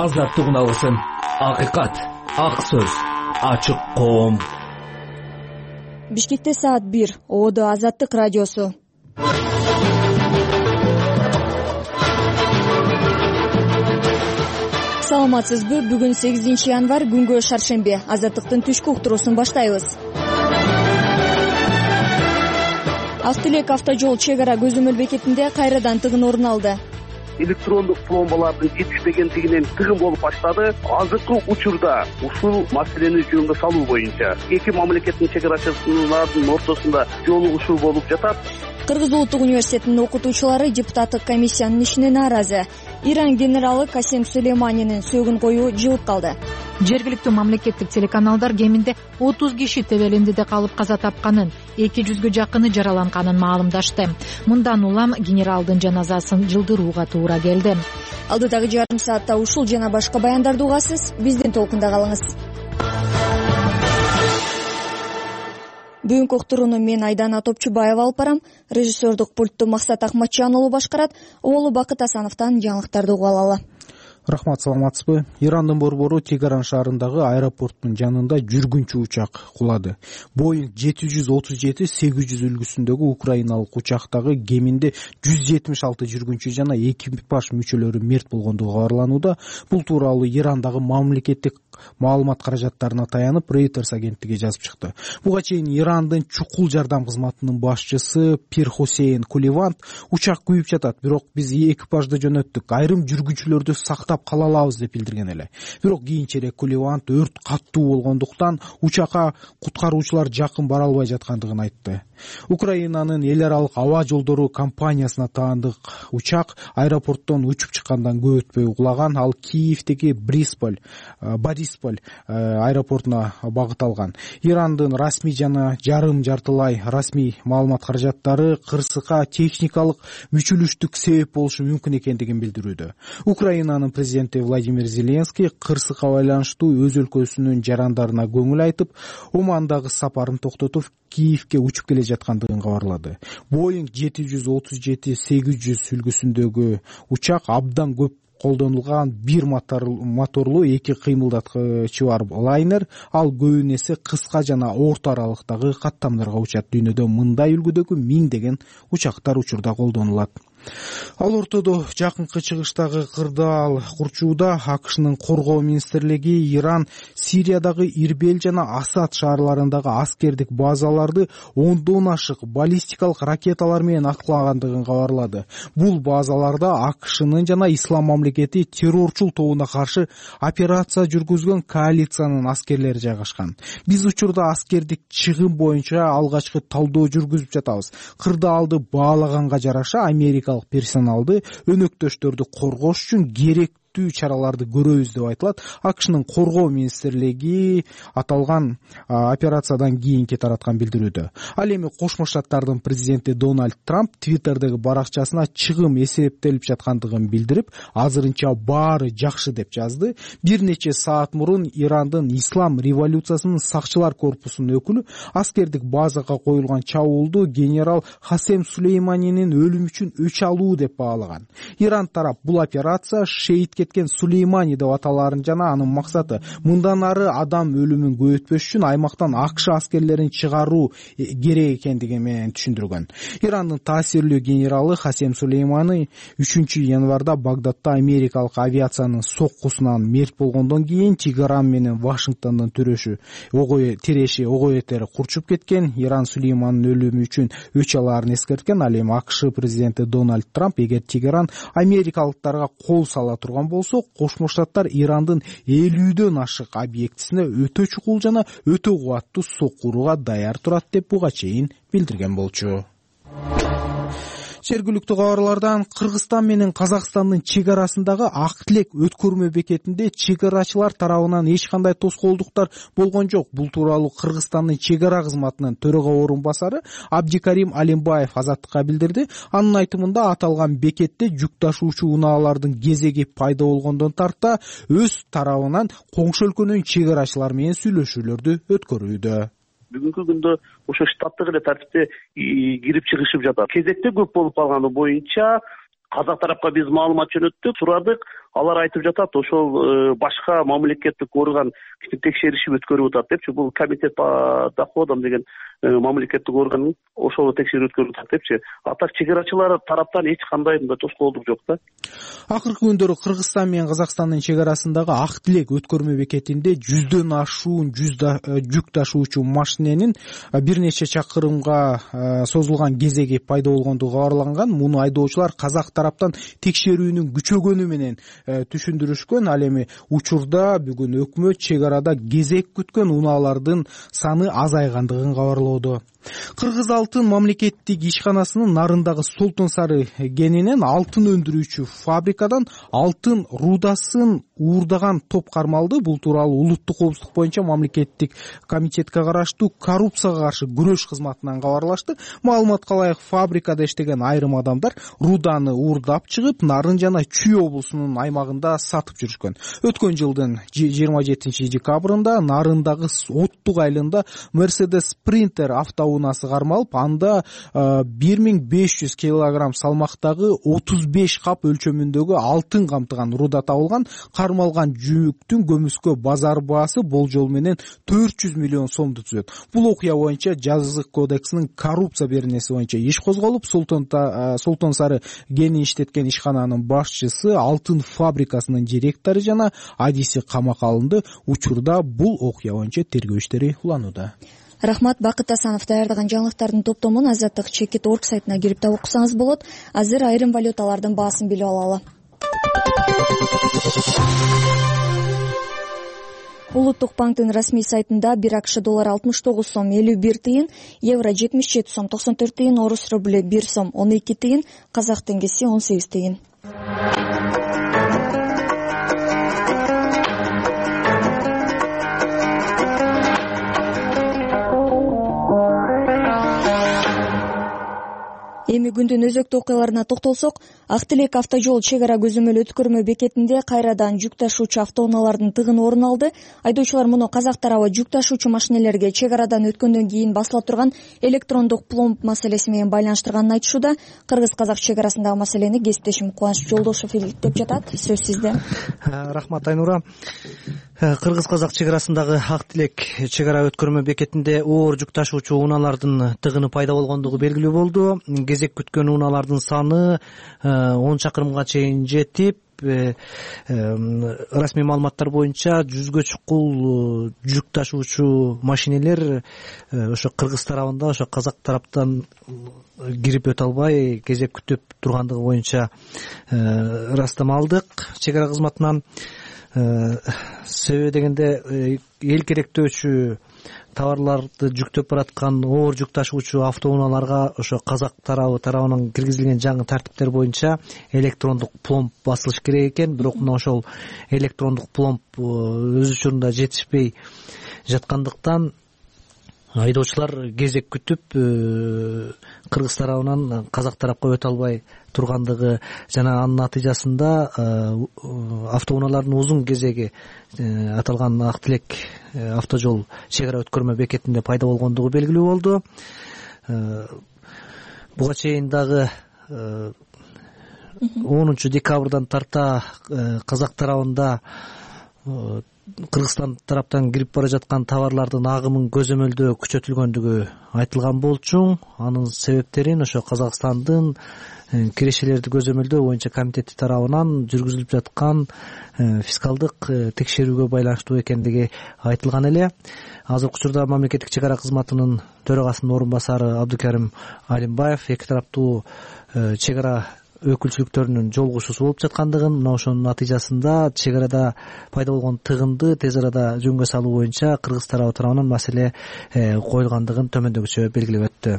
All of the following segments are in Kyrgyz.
азаттык уналгысын. Акыйкат, ак сөз, ачык коом. Бишкекте саат 1. Ободо Азаттык радиосу. Саламатсызбы? Бүгүн 8 январь, күнгө шаршембе. Азаттыктын түшкү уктуруусун баштайбыз. Ак Тилек автожол чек ара көзөмөл бекетинде кайрадан тыгын орун алды. Электрондук пломбалардын жетишпегендигинен тыгын болуп баштады. Азыркы учурда ушул маселени жөнгө салуу боюнча эки мамлекеттин чек арачыларынын ортосунда жолугушуу болуп жатат. Кыргыз улуттук университетинин окутуучулары депутаттык комиссиянын ишине нааразы. Иран генералы Касем Сулейманинин сөөгүн коюу жылып калды. Жергиликтүү мамлекеттик телеканалдар кеминде 30 киши Тебелиндиде калып каза тапканын, 200 жакыны жараланганын маалымдашты. Мындан улам генералдын жаназасын жылдырууга туура келди. Алдыдагы жарым саатта ушул жана башка баяндарды угасыз. Биздин толкунда калыңыз. Бүгүнкү уктурууну мен Айдана Топчубаева алып барам. Режиссердук пультту Максат Акматжан уулу башкарат. Оолу Бакыт Асановдон жаңылыктарды угуп алалы. Рахмат, саламатсызбы? Ирандын борбору Тегеран шаарындагы аэропорттун жанында жүргүнчү учак кулады. Boeing 737-800 үлгүсүндөгү украиналык учактагы кеминде 176 жүргүнчү жана экипаж мүчөлөрү мерт болгондугу кабарланууда. Бул тууралуу Ирандагы мамлекеттик маалымат каражаттарына таянып Reuters агенттиги жазып чыкты. Буга чейин Ирандын чукул жардам кызматынын башчысы Пир Хусейн Куливант учак күйүп жатат, бирок биз экипажды жөнөттүк, айрым жүргүнчүлөрдү сактап кала алабыз деп билдирген эле. Бирок кийинчерээк Куливант өрт каттуу болгондуктан учакка куткаруучулар жакын бара албай жаткандыгын айтты. Украинанын эл аралык аба жолдору компаниясына таандык учак аэропорттон учуп чыккандан көп өтпөй кулаган. Ал Киевдеги Борисполь аэропортуна багыт алган. Ирандын расмий жана жарым жартылай расмий маалымат каражаттары кырсыкка техникалык мүчүлүштүк себеп болушу мүмкүн экендигин билдирүүдө. Украинанын президенти Владимир Зеленский кырсыкка байланыштуу өз өлкөсүнүн жарандарына көңүл айтып, Омандагы сапарын токтотуп, Киевге учуп келе жаткандыгын кабарлады. Boeing 737-800 үлгүсүндөгү учак абдан көп колдонулган бир моторлуу эки кыймылдаткычы бар лайнер. Ал көбүн эсе кыска жана орто аралыктагы каттамдарга учат. Дүйнөдө мындай үлгүдөгү миңдеген учактар учурда колдонулат. Ал ортодо жакынкы чыгыштагы кырдаал курчууда АКШнын коргоо министрлиги Иран Сириядагы Ирбел жана Асад шаарларындагы аскердик базаларды ондон ашык баллистикалык ракеталар менен аткылагандыгын кабарлады. Бул базаларда АКШнын жана Ислам мамлекети террорчул тобуна каршы операция жүргүзгөн коалициянын аскерлери жайгашкан. Биз учурда аскердик чыгым боюнча алгачкы талдоо жүргүзүп жатабыз. Кырдаалды баалаганга жараша Америка персоналды өнөктөштөрдү коргош үчүн керектүү чараларды көрөбүз деп айтылат. АКШнын коргоо министрлиги аталган операциядан кийинки тараткан билдирүүдө. Ал эми Кошмо Штаттардын президенти Дональд Трамп Твиттердеги баракчасына чыгым эсептелип жаткандыгын билдирип, азырынча баары жакшы деп жазды. Бир нече саат мурун Ирандын Ислам революциясынын сакчылар корпусунун өкүлү аскердик базага коюлган чабуулду генерал Касем Сулейманинин өлүмү үчүн өч алуу деп баалаган. Иран тарап бул операция шейит кеткен Сулеймани деп аталарын жана анын максаты мындан ары адам өлүмүн көбөйтпөш үчүн аймактан АКШ аскерлерин чыгаруу керек экендиги менен түшүндүргөн. Ирандын таасирлүү генералы Касем Сулеймани 3 январда Багдадда америкалык авиациянын соккусунан мерт болгондон кийин Тегеран менен Вашингтондон тереши ого бетер курчуп кеткен. Иран Сулейманын өлүмү үчүн өч алаарын эскерткен. Ал эми АКШ президенти Дональд Трамп эгер Тегеран америкалыктарга кол сала турган болсо, Кошмо Штаттар Ирандын 50дөн ашык объектисине өтө чукул жана өтө кубаттуу соккурууга даяр турат деп буга чейин билдирген болчу. Жергиликтүү кабарлардан Кыргызстан менен Казакстандын чек арасындагы Ак Тилек өткөрмө бекетинде чек арачылар тарабынан эч кандай тоскоолдуктар болгон жок. Бул тууралуу Кыргызстандын чек ара кызматынын төрага орун басары Абдикарим Алимбаев Азаттыкка билдирди. Анын айтымында аталган бекетте жүк ташуучу унаалардын кезеги пайда болгондон тарта өз тарабынан коңшу өлкөнүн чек арачылары менен сүйлөшүүлөрдү өткөрүүдө. Бүгүнкү күндө ошо штаттык эле тартипте кирип чыгышып жатат. Кезекте көп болуп калганы боюнча казак тарапка биз маалымат жөнөттүк, сурадык. алар айтып жатат, ошол башка мамлекеттик орган текшеришип өткөрүп атат депчи. Бул комитет по доходам деген мамлекеттик орган ошол текшерип өткөрүп атат депчи. А так чегарачылар тараптан эч кандай мындай тоскоолдук жок да. Акыркы күндөрү Кыргызстан менен Казакстандын чек арасындагы Ак Тилек өткөрмө бекетинде 100дөн ашуун жүк ташуучу машиненин бир нече чакырымга созулган кезеги пайда болгондугу кабарланган. Муну айдоочулар казак тараптан текшерүүнүн күчөгөнү менен түшүндүрүшкөн. Ал эми учурда бүгүн өкмөт чек арада кезек күткөн унаалардын саны азайгандыгын кабарлоодо. Кыргыз алтын мамлекеттик ишканасынын нарындагы Солтон Сары кенинен алтын өндүрүүчү фабрикадан алтын рудасын уурдаган топ кармалды. Бул тууралуу улуттук коопсуздук боюнча мамлекеттик комитетке караштуу коррупцияга каршы күрөш кызматынан кабарлашты. Маалыматка ылайык, фабрикада иштеген айрым адамдар руданы уурдап чыгып, Нарын жана Чүй облусунун аймагында сатып жүрүшкөн. Өткөн жылдын 27 декабрында Нарындагы Оттук айылында Mercedes Sprinter автоунасы кармалып, анда 1500 килограмм салмактагы 35 кап өлчөмүндөгү алтын камтыган руда табылган. Кармалган жүктүн көмүскө базар баасы болжол менен 400 миллион сомду түзөт. Бул окуя боюнча Жазык кодексинин коррупция беренеси боюнча иш козголуп, Солтон Сары кенин иштеткен ишкананын башчысы, алтын фабрикасынын директору жана адиси камакка алынды. Учурда бул окуя боюнча тергөө иштери уланууда. Рахмат. Бакыт Асанов даярдаган жаңылыктардын топтомун Азаттык Чекит орг сайтына кирип таап окусаңыз болот. Азыр айрым валюталардын баасын билип алалы. Улуттук банктын расмий сайтында 1 АКШ доллары 69 сом 51 тыйын, евро 77 сом 94 тыйын, орус рубль 1 сом 12 тыйын, казак теңгеси 18 тыйын. Эми күндүн өзөктүү окуяларына токтолсок, Ак Тилек автожол чек ара көзөмөл өткөрмө бекетинде кайрадан жүк ташуучу автоунаалардын тыгыны орун алды. Айдоочулар муну казак тарабы жүк ташуучу машинелерге чек арадан өткөндөн кийин басыла турган электрондук пломб маселеси менен байланыштырганын айтышууда. Кыргыз-казак чек арасындагы маселени кесиптешим Кубаныч Жолдошов иликтеп жатат. Сөз сизде. Рахмат, Айнура. Кыргыз-казак чек арасындагы Ак Тилек чек ара өткөрмө бекетинде оор жүк ташуучу унаалардын тыгыны пайда болгондугу белгилүү болду. Кезек күткөн унаалардын саны 10 чакырымга чейин жетип, расмий маалыматтар боюнча 100гө чукул жүк ташуучу машинелер ошо Кыргыз тарабында, ошо казак тараптан кирип өтө албай кезек күтүп тургандыгы боюнча ырастама алдык чек ара кызматынан. Себеби дегенде эл керектөөчү товарларды жүктөп бараткан оор жүк ташуучу автоунааларга ошо казак тарабынан киргизилген жаңы тартиптер боюнча электрондук пломб басылыш керек экен. Бирок мына ошол электрондук пломб өз учурунда жетишпей жаткандыктан айдоочулар кезек күтүп Кыргыз тарабынан казак тарапка өтө албай тургандыгы жана анын натыйжасында автоунаалардын узун кезеги аталган Ак Тилек автожол чек ара өткөрмө бекетинде пайда болгондугу белгилүү болду. Буга чейин дагы 10 декабрдан тарта казак тарабында Кыргызстан тараптан кирип бара жаткан товарлардын агымын көзөмөлдөө күчөтүлгөндүгү айтылган болчу. Анын себептерин ошо Казакстандын кирешелерди көзөмөлдөө боюнча комитети тарабынан жүргүзүлүп жаткан фискалдык текшерүүгө байланыштуу экендиги айтылган эле. Азыркы учурда мамлекеттик чек ара кызматынын төрагасынын орун басары Абдыкарим Алимбаев эки тараптуу чек ара өкүлчүлүктөрүнүн жолугушуусу болуп жаткандыгын, мына ошонун натыйжасында чек арада пайда болгон тыгынды тез арада жөнгө салуу боюнча Кыргыз тарабы тарабынан маселе коюлгандыгын төмөндөгүчө белгилеп өттү.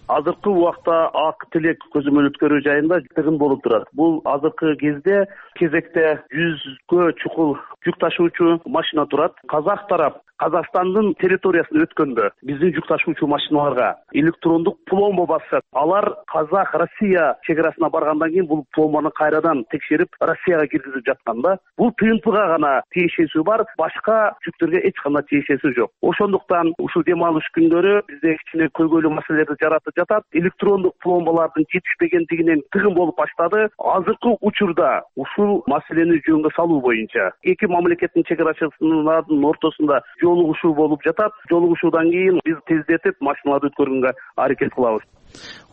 Азыркы убакта Ак Тилек көзөмөл өткөрүү жайында тыгын болуп турат. Бул азыркы кезде кезекте 100гө чукул жүк ташуучу машина турат. Казак тарап Казакстандын территориясына өткөндө биздин жүк ташуучу машиналарга электрондук пломба басат. Алар Казак Россия чек арасына баргандан кийин бул пломбаны кайрадан текшерип Россияга киргизип жатканда, бул ТНПга гана тиешеси бар, башка жүктөргө эч кандай тиешеси жок. Ошондуктан ушул дем алыш күндөрү бизде кичине көйгөйлүү маселелерди жаратып жатат. Электрондук пломбалардын жетишпегендигинен тыгын болуп баштады. Азыркы учурда ушул маселени жөнгө салуу боюнча эки мамлекеттин чегарачыларынын ортосунда жолугушуу болуп жатат. Жолугушуудан кийин биз тездетип машиналарды өткөргөнгө аракет кылабыз.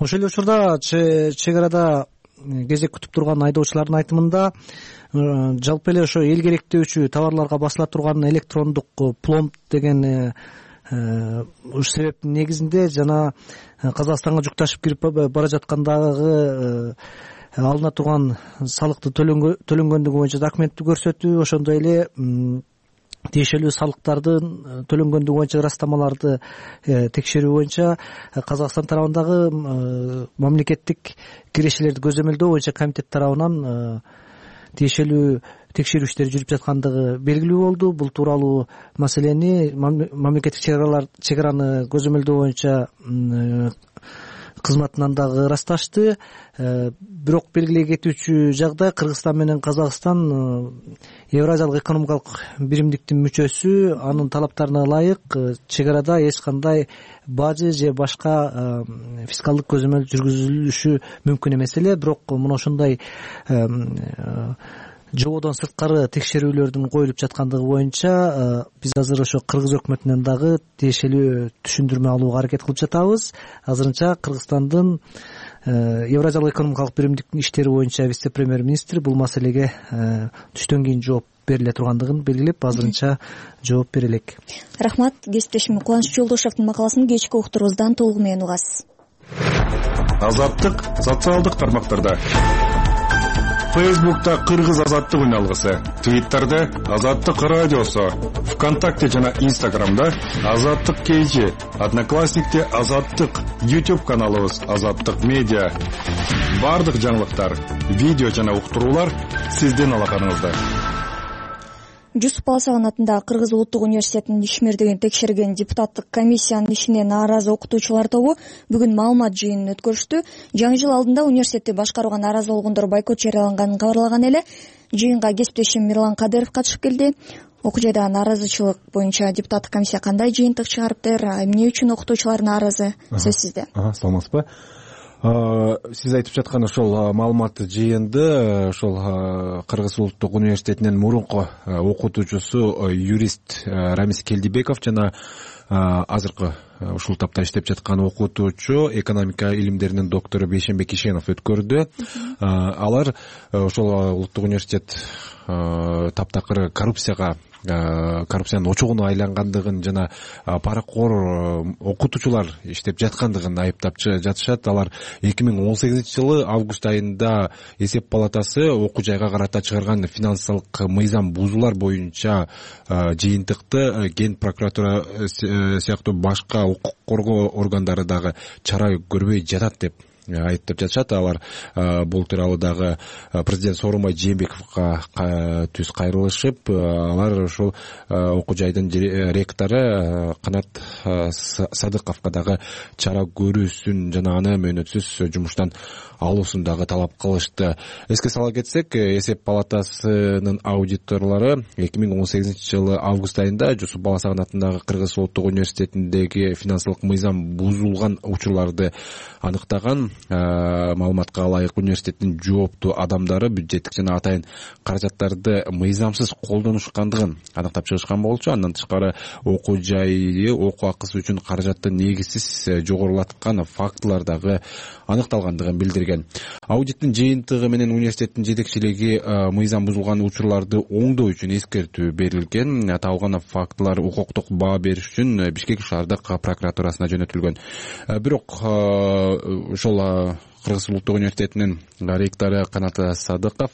Ошол эле учурда чегарада кезек күтүп турган айдоочулардын айтымында жалпы эле ошо эл керектөөчү товарларга басыла турган электрондук пломб деген ушу себептин негизинде жана Казакстанга жүк ташып кирип бара jaткандагы алына турган салыкты төлөнгөндүгү боюнча документти көрсөтүү, ошондой эле тиешелүү салыктардын төлөнгөндүгү боюнча ырастамаларды текшерүү боюнча Казакстан тарабындагы мамлекеттик кирешелерди көзөмөлдөө боюнча комитет тарабынан тиешелүү текшерүү иштери жүрүп жаткандыгы белгилүү болду. Бул тууралуу маселени мамлекеттик чегараны көзөмөлдөө боюнча кызматынан дагы ырасташты. Бирок белгилей кетүүчү жагдай, Кыргызстан менен Казакстан Евразиялык экономикалык биримдиктин мүчөсү, анын талаптарына ылайык чегарада эч кандай бажы же башка фискалдык көзөмөл жүргүзүлүшү мүмкүн эмес эле. Бирок мына ошондой жободон сырткары текшерүүлөрдүн коюлуп жаткандыгы боюнча биз азыр ошо кыргыз өкмөтүнөн дагы тиешелүү түшүндүрмө алууга аракет кылып жатабыз. Азырынча Кыргызстандын Евразиялык экономикалык биримдиктин иштери боюнча вице-премьер-министр бул маселеге түштөн кийин жооп бериле тургандыгын белгилеп, азырынча жооп бере элек. Рахмат. Кесиптешим Кубаныч Жолдошевдин макаласын кечки уктурубуздан толугу менен угасыз. Азаттык социалдык тармактарда. Фейсбукта Кыргыз азаттык үналгысы, Твиттерде Азаттык радиосу, ВКонтакте жана Инстаграмда Азаттык KG, Одноклассникте Азаттык, YouTube каналыбыз Азаттык медиа. Бардык жаңылыктар, видео жана уктуруулар сиздин алаканыңызда. Жусуп Баласаган атындагы Кыргыз улуттук университетинин ишмердигин текшерген депутаттык комиссиянын ишине нааразы окутуучулар тобу бүгүн маалымат жыйынын өткөрүштү. Жаңы жыл алдында университетти башкарууга нааразы болгондор бойкот жарыяланганын кабарлаган эле. Жыйынга кесиптешим Мирлан Кадыров катышып келди. Окуу жайдагы нааразычылык боюнча депутаттык комиссия кандай жыйынтык чыгарыптыр, эмне үчүн окутуучулар нааразы? Сөз сизде. Саламатсызбы? Сиз айтып жаткан ошол маалыматтык жыйынды ошол Кыргыз улуттук университетинин мурунку окутуучусу юрист Рамис Келдибеков жана азыркы ушул тапта иштеп жаткан окутуучу экономика илимдеринин доктору Бейшенбек Ишенов өткөрдү. Алар ошол улуттук университет таптакыр коррупциянын очогуна айлангандыгын жана паракор окутуучулар иштеп жаткандыгын айыптап жатышат. Алар 2018-жылы август айында эсеп палатасы окуу жайга карата чыгарган финансылык мыйзам бузуулар боюнча жыйынтыкты Ген прокуратура сыяктуу башка укук коргоо органдары дагы чара көрбөй жатат деп айыптап жатышат. Алар бул тууралуу дагы президент Сооронбай Жээнбековго түз кайрылышып, алар ошол окуу жайдын ректору Канат Садыковго дагы чара көрүүсүн жана аны мөөнөтсүз жумуштан алуусун дагы талап кылышты. Эске сала кетсек, эсеп палатасынын аудиторлору 2018-жылы август айында Жусуп Баласаган атындагы Кыргыз улуттук университетиндеги финансылык мыйзам бузулган учурларды аныктаган. Маалыматка ылайык университеттин жооптуу адамдары бюджеттик жана атайын каражаттарды мыйзамсыз колдонушкандыгын аныктап чыгышкан болчу. Андан тышкары окуу жайы окуу акысы үчүн каражатты негизсиз жогорулаткан фактылар дагы аныкталгандыгын билдирген. Аудиттин жыйынтыгы менен университеттин жетекчилиги мыйзам бузулган учурларды оңдоо үчүн эскертүү берилген. Табылган фактылар укуктук баа бериш үчүн Бишкек шаардык прокуратурасына жөнөтүлгөн. Бирок ошол Кыргыз улуттук университетинин ректору Канат Садыков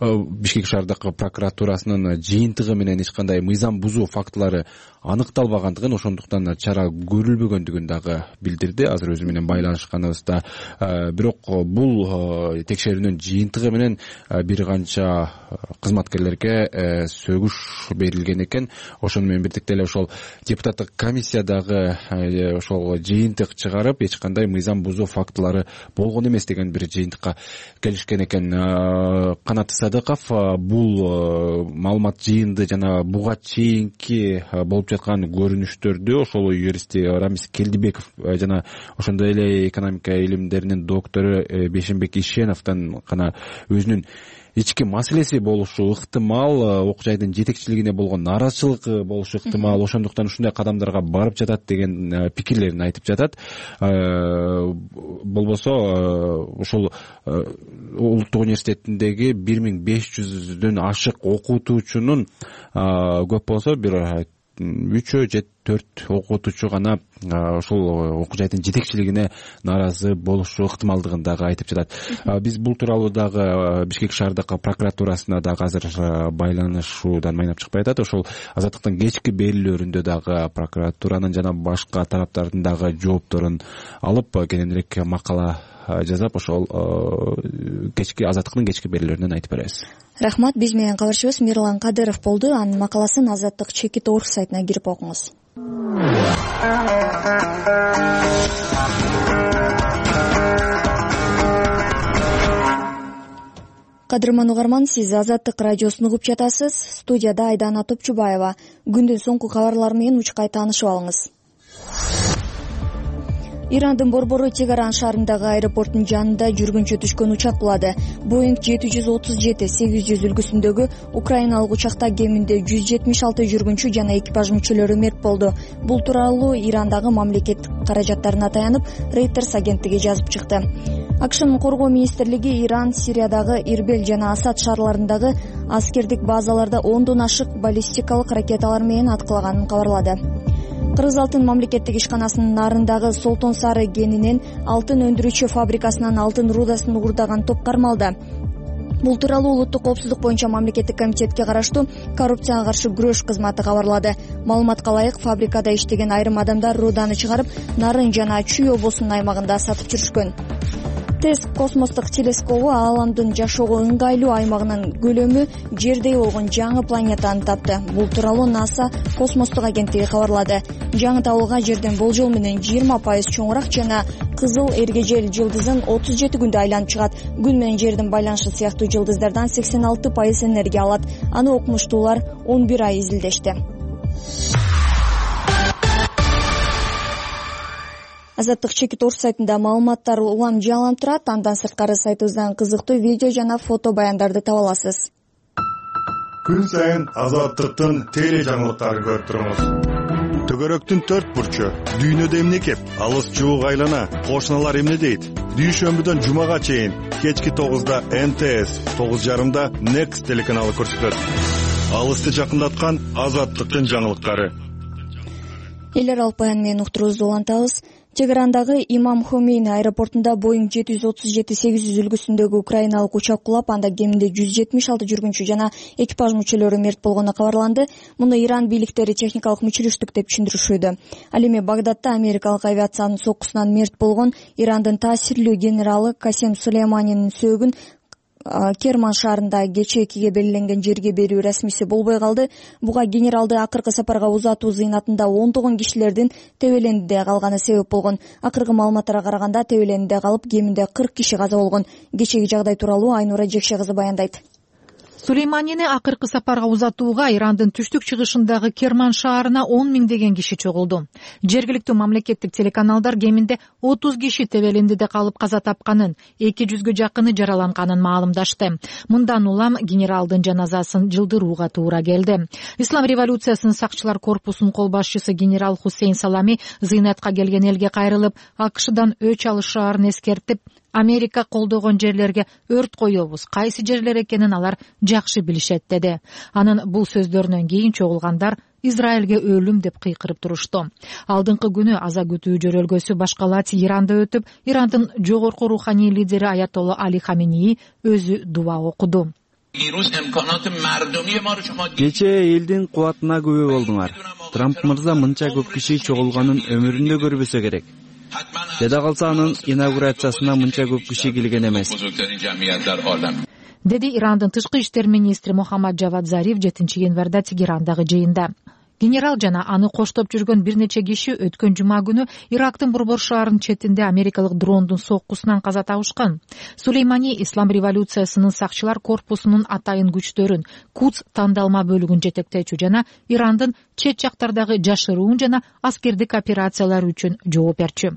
Бишкек шаардык прокуратурасынын жыйынтыгы менен эч кандай мыйзам бузуу фактылары аныкталбагандыгын, ошондуктан чара көрүлбөгөндүгүн дагы билдирди. Азыр өзү менен байланышканыбызда. Бирок бул текшерүүнүн жыйынтыгы менен бир канча кызматкерлерге сөгүш берилген экен. Ошону менен бирдикте эле ошол депутаттык комиссия дагы ошол жыйынтык чыгарып, эч кандай мыйзам бузуу фактылары болгон эмес деген бир жыйынтыкка келишкен экен. Канат Садыков бул маалымат жыйынды жана буга чейинки болуп жаткан көрүнүштөрдү ошол юрист Рамис Келдибеков жана ошондой эле экономика илимдеринин доктору Бейшенбек Ишеновдон гана өзүнүн ички маселеси болушу ыктымал, окуу жайдын жетекчилигине болгон нааразычылык болушу ыктымал, ошондуктан ушундай кадамдарга барып жатат деген пикирлерин айтып жатат. Болбосо ошол улуттук университетиндеги 1500дөн ашык окутуучунун көп болсо бир 3 же 4 окутуучу гана ошол окуу жайдын жетекчилигине нааразы болушу ыктымалдыгын дагы айтып жатат. Биз бул тууралуу дагы Бишкек шаардык прокуратурасына дагы азыр байланышуудан майнап чыкпай атат. Ошол Азаттыктын кечки берүүлөрүндө дагы прокуратуранын жана башка тараптардын дагы жоопторун алып кененирээк макала жазап ошол Азаттыктын кечки берүүлөрүнөн айтып беребиз. Рахмат. Биз менен кабарчыбыз Мирлан Кадыров болду. Анын макаласын Азаттык Чекит.org сайтына кирип окуңуз. Кадырман угарман, сиз Азаттык радиосун угуп жатасыз. Студияда Айдана Топчубаева. Күндүн соңку кабарлары менен учкай таанышып алыңыз. Ирандын борбору Тегеран шаарындагы аэропорттун жанында жүргүнчө түшкөн учак кулады. Boeing 737-800 үлгүсүндөгү украиналык учакта кеминде 176 жүргүнчү жана экипаж мүчөлөрү мерт болду. Бул тууралуу Ирандагы мамлекеттик каражаттарына таянып Reuters агенттиги жазып чыкты. АКШнын коргоо министрлиги Иран Сириядагы Ирбел жана Асад шаарларындагы аскердик базаларда 10дон ашык баллистикалык ракеталар менен аткылаганын кабарлады. Кыргыз алтын мамлекеттик ишканасынын нарындагы Солтон Сары кенинен алтын өндүрүүчү фабрикасынан алтын рудасын уурдаган топ кармалды. Бул тууралуу улуттук коопсуздук боюнча мамлекеттик комитетке караштуу коррупцияга каршы күрөш кызматы кабарлады. Маалыматка ылайык, фабрикада иштеген айрым адамдар руданы чыгарып, Нарын жана Чүй облусунун аймагында сатып жүрүшкөн. ТЭСС космостук телескобу ааламдын жашоого ыңгайлуу аймагынын көлөмү Жердей болгон жаңы планетаны тапты. Бул тууралуу НАСА космостук агенттиги кабарлады. Жаңы табылган Жерден болжол менен 20% чоңураак жана кызыл эргежел жылдызын 37 күндө айланып чыгат. Күн менен Жердин байланышы сыяктуу жылдыздардан 86% энергия алат. Аны окумуштуулар 11 ай изилдешти. Азаттык Чекит.org сайтында маалыматтар улам жаңыланып турат. Андан сырткары сайтыбыздан кызыктуу видео жана фото баяндарды таба аласыз. Күн сайын Азаттыктын теле жаңылыктарын көрүп туруңуз. Төгөрөктүн 4 бурчу, дүйнөдө эмне кеп, алыс жуук айлана, кошуналар эмне дейт? Дүйшөмбүдөн жумага чейин кечки 9да МТС, 9:30да Next телеканалы көрсөтөт. Алысты жакындаткан Азаттыктын жаңылыктары. Элер алып баян менен уктуруубузду улантабыз. Тегерандагы Имам Хомейни аэропортунда Boeing 737-800 үлгүсүндөгү украиналык учак кулап, анда кеминде 176 жүргүнчү жана экипаж мүчөлөрү мерт болгону кабарланды. Муну Иран бийликтери техникалык мүчүлүштүк деп түшүндүрүшүүдө. Ал эми Багдадта америкалык авиациянын соккусунан мерт болгон Ирандын таасирлүү генералы Касем Сулейманинин сөөгүн Керман шаарында кечээ 2ге белгиленген жерге берүү расмиси болбой калды. Буга генералды акыркы сапарга узатуу зыйнатында 10 кишилердин тебелендиде калганы себеп болгон. Акыркы маалыматтарга караганда тебелендиде калып кеминде 40 киши каза болгон. Кечеги жагдай тууралуу Айнура Жекше кызы баяндайт. Сулейманини акыркы сапарга узатууга Ирандын түштүк чыгышындагы Керман шаарына 10 миңдеген киши чогулду. Жергиликтүү мамлекеттик телеканалдар кеминде 30 киши тебелендиде калып каза тапканын, 200гө жакыны жараланганын маалымдашты. Мындан улам генералдын жаназасын жылдырууга туура келди. Ислам революциясынын сакчылар корпусунун кол башчысы генерал Хусейн Салами зыйнатка келген элге кайрылып, АКШдан өч алышаарын эскертип, Америка колдогон жерлерге өрт коебуз, кайсы жерлер экенин алар жакшы билишет деди. Анын бул сөздөрүнөн кийин чогулгандар Израилге өлүм деп кыйкырып турушту. Алдыңкы күнү аза күтүү жөрөлгөсү башкалат Иранда өтүп, Ирандын жогорку руханий лидери Аятолла Али Хаменеи өзү дуа окуду. Кечээ элдин кубатына күбө болдуңар. Трамп мырза мынча көп киши чогулганын өмүрүндө көрбөсө керек. Жада калса анын инаугурациясына мынча көп киши келген эмес. Деди Ирандын тышкы иштер министри Мухаммад Жавад Зариф 7 январда Тегерандагы жыйында. Генерал жана аны коштоп жүргөн бир нече киши өткөн жума күнү Ирактын борбор шаарынын четинде америкалык дрондун соккусунан каза табышкан. Сулеймани Ислам революциясынын сакчылар корпусунун атайын күчтөрүн, Кудс тандалма бөлүгүн жетектөөчү жана Ирандын чет жактардагы жашыруун жана аскердик операциялар үчүн жооп берчү.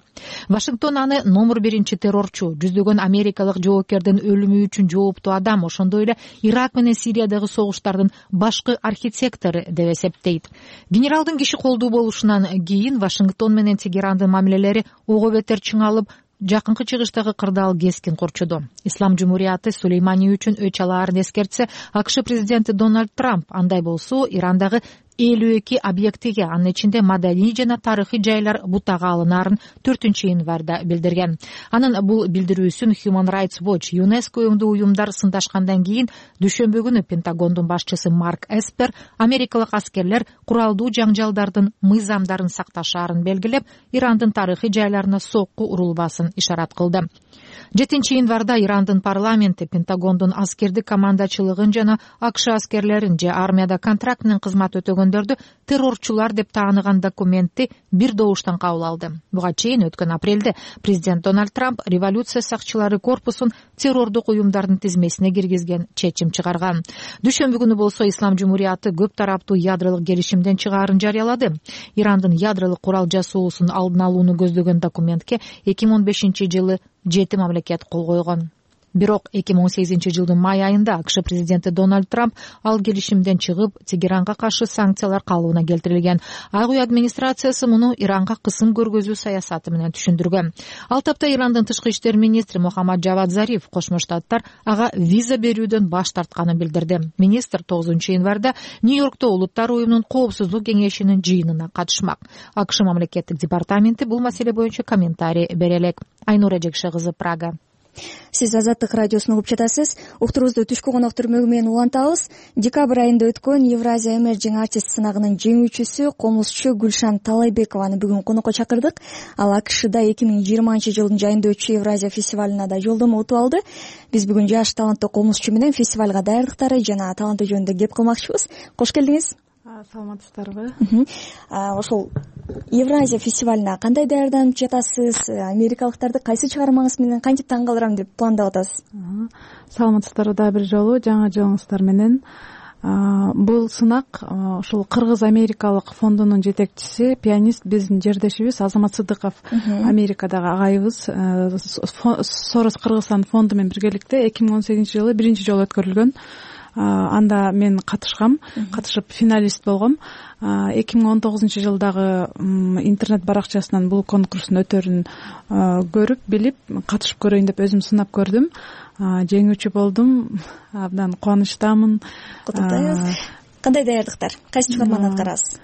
Вашингтон аны номер 1 террорчу, жүздөгөн америкалык жоопкердин өлүмү үчүн жооптуу адам, ошондой эле Ирак менен Сириядагы согуштардын башкы архитектору деп эсептейт. Генералдын киши колдуу болушунан кийин Вашингтон менен Тегерандын мамилелери ого бетер чыңалып, жакынкы чыгыштагы кырдаал кескин корчоду. Ислам Жумурияты Сулеймани үчүн өч алаарын эскертсе, АКШ президенти Дональд Трамп андай болсо Ирандагы 52 объектиге, анын ичинде маданий жана тарыхый жайлар бутага алынаарын 4-январда билдирген. Анын бул билдирүүсүн Human Rights Watch, ЮНЕСКО өңдүү уюмдар сындашкандан кийин дүйшөмбү күнү Пентагондун башчысы Марк Эспер америкалык аскерлер куралдуу жаңжалдардын мыйзамдарын сакташаарын белгилеп, Ирандын тарыхый жайларына сокку урулбасын ишарат кылды. 7-январда Ирандын парламенти Пентагондун аскердик командачылыгын жана АКШ аскерлерин же армияда контракт менен кызмат өтөгөндөрдү террорчулар деп тааныган документти бир добуштан кабыл алды. Буга чейин өткөн апрелде президент Дональд Трамп революция сакчылары корпусун террордук уюмдардын тизмесине киргизген чечим чыгарган. Дүйшөмбү күнү болсо Ислам Жумурияты көп тараптуу ядролук келишимден чыгаарын жарыялады. Ирандын ядролук курал жасоосун алдын алууну көздөгөн документке 2015-жылы 7 мамлекет кол койгон. Бирок 2018-жылдын май айында АКШ президенти Дональд Трамп ал келишимден чыгып, Тегеранга каршы санкциялар калыбына келтирилген. Ак үй администрациясы муну Иранга кысым көргөзүү саясаты менен түшүндүргөн. Ал тапта Ирандын тышкы иштер министри Мухаммад Джавад Зариф Кошмо Штаттар ага виза берүүдөн баш тартканын билдирди. Министр 9-январда Нью-Йоркто Улуттар уюмунун коопсуздук кеңешинин жыйынына катышмак. АКШ мамлекеттик департаменти бул маселе боюнча комментарий бере элек. Айнура Жекше кызы, Прага. Сиз Азаттык радиосун угуп жатасыз. Уктурубузду түшкү конок түрмөгү менен улантабыз. Декабрь айында өткөн Евразия Emerging Artist сынагынын жеңүүчүсү комузчу Гүлшан Талайбекованы бүгүн конокко чакырдык. Ал АКШда 2020-жылдын жайында өтчү Евразия фестивалына да жолдомо утуп алды. Биз бүгүн жаш таланттуу комузчу менен фестивалга даярдыктары жана таланты жөнүндө кеп кылмакчыбыз. Кош келдиңиз. Саламатсыздарбы? Ошол Евразия фестивалына кандай даярданып жатасыз? Америкалыктарды кайсы чыгармаңыз менен кантип таң калтырам деп пландап атасыз? Саламатсыздарбы дагы бир жолу, жаңы жылыңыздар менен. Бул сынак ушул Кыргыз-Америкалык фондунун жетекчиси, пианист, биздин жердешибиз Азамат Сыдыков, Америкадагы агайыбыз, Сорос Кыргызстан фонду менен биргеликте 2018-жылы биринчи жолу өткөрүлгөн. Анда мен катышып финалист болгом. 2019-жылдагы интернет баракчасынан бул конкурстун өтөрүн көрүп, билип, катышып көрөйүн деп өзүм сынап көрдүм. Жеңүүчү болдум. Абдан кубанычтамын. Куттуктайбыз. Кандай даярдыктар? Кайсы чыгарманы аткарасыз?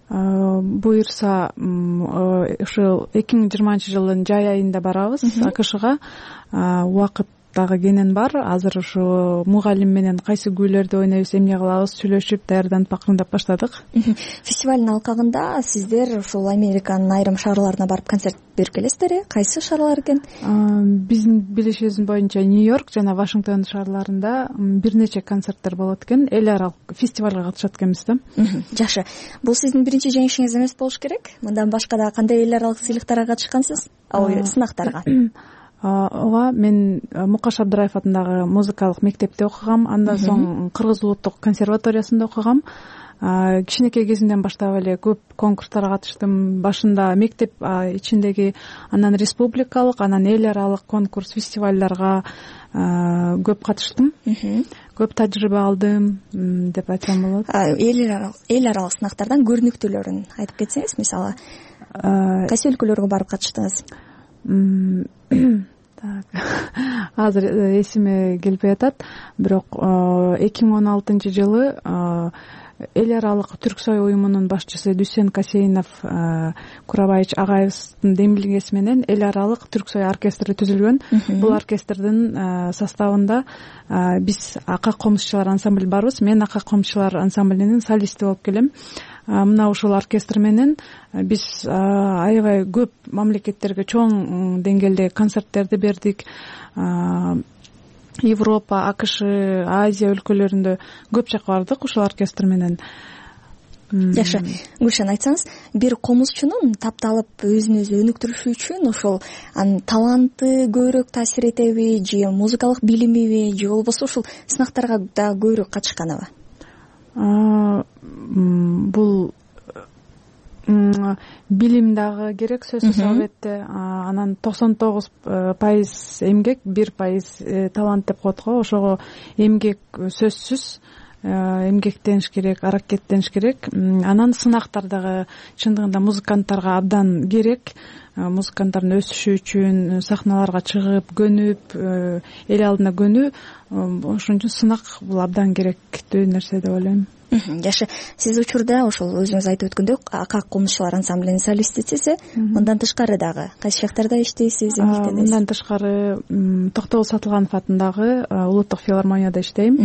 Буюрса, ушул 2020-жылдын жай айында барабыз АКШга. Убакыт дагы кенен бар. Азыр ушу мугалим менен кайсы күйлөрдү ойнойбуз, эмне кылабыз, сүйлөшүп, даярданып акырындап баштадык. Фестивалдын алкагында сиздер ушул Американын айрым шаарларына барып концерт берип келесиздер, Кайсы шаарлар экен? Биздин билишибиз боюнча Нью-Йорк жана Вашингтон шаарларында бир нече концерттер болот экен. Эл аралык фестивалга катышат экенбиз да. Жакшы. Бул сиздин биринчи жеңишиңиз эмес болуш керек. Мындан башка да кандай эл аралык сыйлыктарга катышкансыз? Сынактарга? Ооба, мен Мукаш Абдыраев атындагы музыкалык мектепте окугам, андан соң Кыргыз улуттук консерваториясында окугам. Кичинекей кезимден баштап эле көп конкурстарга катыштым. Башында мектеп ичиндеги, анан республикалык, анан эл аралык конкурс, фестивалдарга көп катыштым. Көп тажрыйба алдым деп айтсам болот. Эл аралык сынактардан көрүнүктүүлөрүн айтып кетсеңиз, мисалы, кайсы өлкөлөргө барып катыштыңыз? Азыр эсиме келбей атат, бирок 2016-жылы эл аралык Түрксой уюмунун башчысы Дүсен Касейнов Курабаевич агайыбыздын демилгеси менен эл аралык Түрксой оркестри түзүлгөн. Бул оркестрдин составында биз Ака комузчулар ансамбль барбыз. Мен Ака комузчулар ансамблинин солисти болуп келем. Мына ушул оркестр менен биз аябай көп мамлекеттерге чоң деңгээлде концерттерди бердик. Европа, АКШ, Азия өлкөлөрүндө көп жакка бардык ушул оркестр менен. жакшы, Гүлшан, айтсаңыз, бир комузчунун тапталып өзүн өзү өнүктүрүшү үчүн ошол анын таланты көбүрөөк таасир этеби же музыкалык билимиби же болбосо ушул сынактарга да көбүрөөк катышканыбы? Бул билим дагы керек, сөзсүз албетте. Анан 99% эмгек, 1% талант деп коет го. Ошого эмгек сөзсүз, эмгектениш керек, аракеттениш керек. Анан сынактар дагы чындыгында музыканттарга абдан керек. Музыканттардын өсүшү үчүн сахналарга чыгып, көнүп, эл алдына көнүү, ошон үчүн сынак бул абдан керектүү нерсе деп ойлойм. Жакшы, сиз учурда ошол өзүңүз айтып өткөндөй АК комузчулар ансамблинин солистисиз. Мындан тышкары дагы кайсы жактарда иштейсиз? Мындан тышкары Токтогул Сатылганов атындагы улуттук филармонияда иштейм.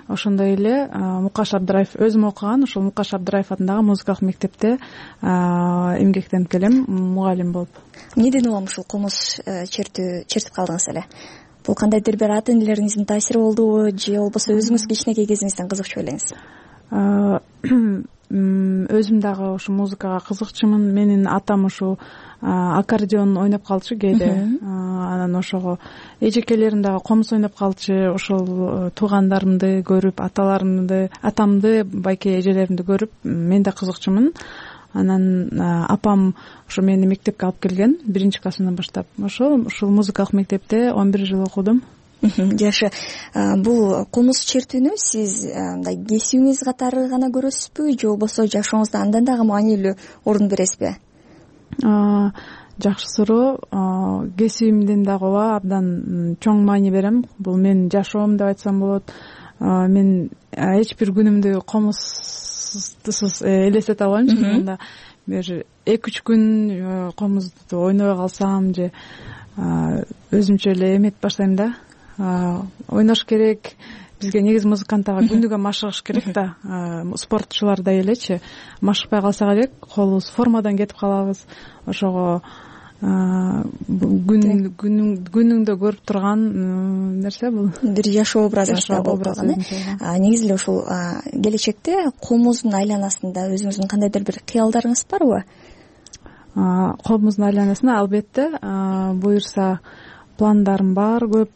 Ошондой эле Мукаш Абдыраев, өзүм окуган ошол Мукаш Абдыраев атындагы музыкалык мектепте эмгектенип келем, мугалим болуп. Эмнеден улам ушул комуз чертип калдыңыз эле? Бул кандайдыр бир ата энелериңиздин таасири болдубу же болбосо өзүңүз кичинекей кезиңизден кызыкчу белеңиз? Өзүм дагы ушу музыкага кызыкчумун. Менин атам ушу аккордеон ойноп калчу кээде. Анан ошого эжекелерим дагы комуз ойноп калчу. Ошол туугандарымды көрүп, атамды, байке эжелеримди көрүп, мен да кызыкчумун. Анан апам ошо мени мектепке алып келген 1-классымдан баштап. Ушул музыкалык мектепте 11 жыл окудум. Жакшы, бул комуз чертүүнү сиз мындай кесибиңиз катары гана көрөсүзбү же болбосо жашооңузда андан дагы маанилүү орун бересизби? Жакшы суроо. Кесибимден дагы ооба, абдан чоң маани берем. Бул менин жашоом деп айтсам болот. Мен эч бир күнүмдү комузсуз элестете албайм. Чындыгында бир 2-3 күн комузду ойнобой калсам же өзүмчө эле эметип баштайм да. Ойнош керек. Бизге негизи музыканттарга күндүгө машыгыш керек да. Спортчулардай элечи машыкпай калсак элек, колубуз формадан кетип калабыз. Ошого күнүңдө көрүп турган нерсе бул. Бир жашоо образыңызда болуп калган. Негизи эле ушул келечекте комуздун айланасында өзүңүздүн кандайдыр бир кыялдарыңыз барбы? Комуздун айланасында албетте буюрса пландарым бар көп.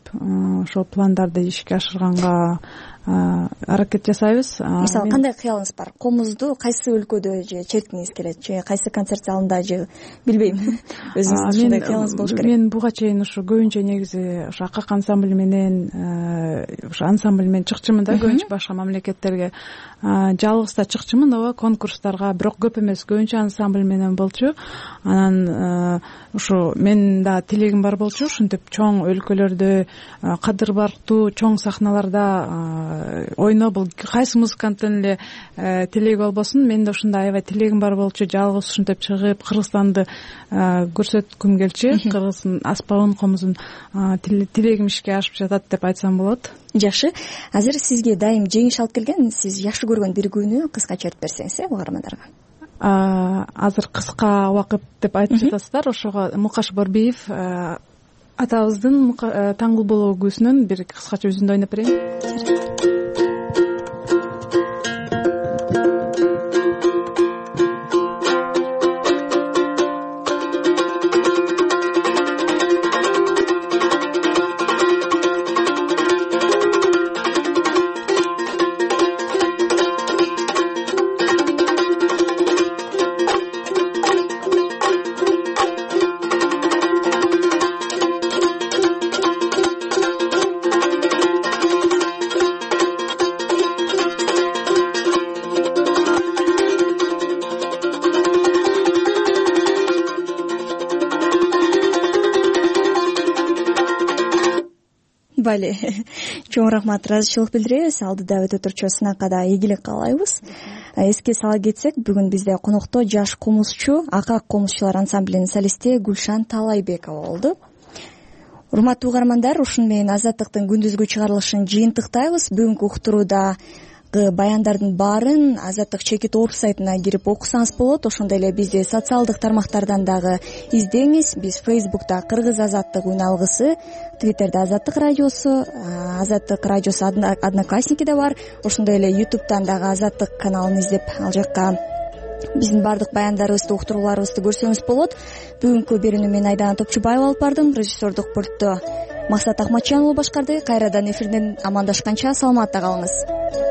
Ошол пландарды ишке ашырганга аракет жасайбыз. Мисалы, кандай кыялыңыз бар? Комузду кайсы өлкөдө же черткиңиз келет, же кайсы концерт залында, же билбейм. Өзүңүздүн ушундай кыялыңыз болуш керек. Мен буга чейин ушу көбүнчө негизи ушу АК ансамбль менен ушу ансамбль менен чыкчумун да, көбүнчө башка мамлекеттерге. Жалгыз да чыкчумун, ооба, конкурстарга, бирок көп эмес, көбүнчө ансамбль менен болчу. Анан ушу менин да тилегим бар болчу, ушинтип чоң өлкөлөрдө, кадыр барктуу чоң сахналарда ойно. Бул кайсы музыканттын эле тилеги болбосун, менин да ушундай аябай тилегим бар болчу. Жалгыз ушинтип чыгып Кыргызстанды көрсөткүм келчү. Кыргыздын аспабын, комузун тилегим ишке ашып жатат деп айтсам болот. Жакшы. Азыр сизге дайым жеңиш алып келген, сиз жакшы көргөн бир күнү кыскача айтып берсеңиз, угармандарга. Азыр кыска убакыт деп айтып жатасыздар. Ошого Мукаш Борбиев атабыздын Таңгул болобу күзүнөн бир кыскача үзүндү ойноп берейин. Бали, чоң рахмат, ыраазычылык билдиребиз. Алдыда өтө турчу сынакка да ийгилик каалайбыз. Эске сала кетсек, бүгүн бизде конокто жаш комузчу, АК комузчулар ансамблинин солисти Гүлшан Таалайбекова болду. Урматтуу угармандар, ушун менен Азаттыктын күндүзгү чыгарылышын жыйынтыктайбыз. Бүгүнкү уктурууда баяндардын баарын Азаттык чекит орг сайтына кирип окусаңыз болот. Ошондой эле бизди социалдык тармактардан дагы издеңиз. Биз Facebook'та Кыргыз Азаттык үн алгысы, Twitter'да Азаттык радиосу, Азаттык радиосу Одноклассники да бар. Ошондой эле YouTube'дан дагы Азаттык каналын издеп, ал жакка биздин баардык баяндарыбызды уктурууларыбызды көрсөңүз болот. Бүгүнкү берүүнү мен Айдана Топчубаева алып бардым. Режиссердук пультту Максат Ахматжанұлы башкарды. Кайрадан эфирден амандашканча саламатта калыңыз.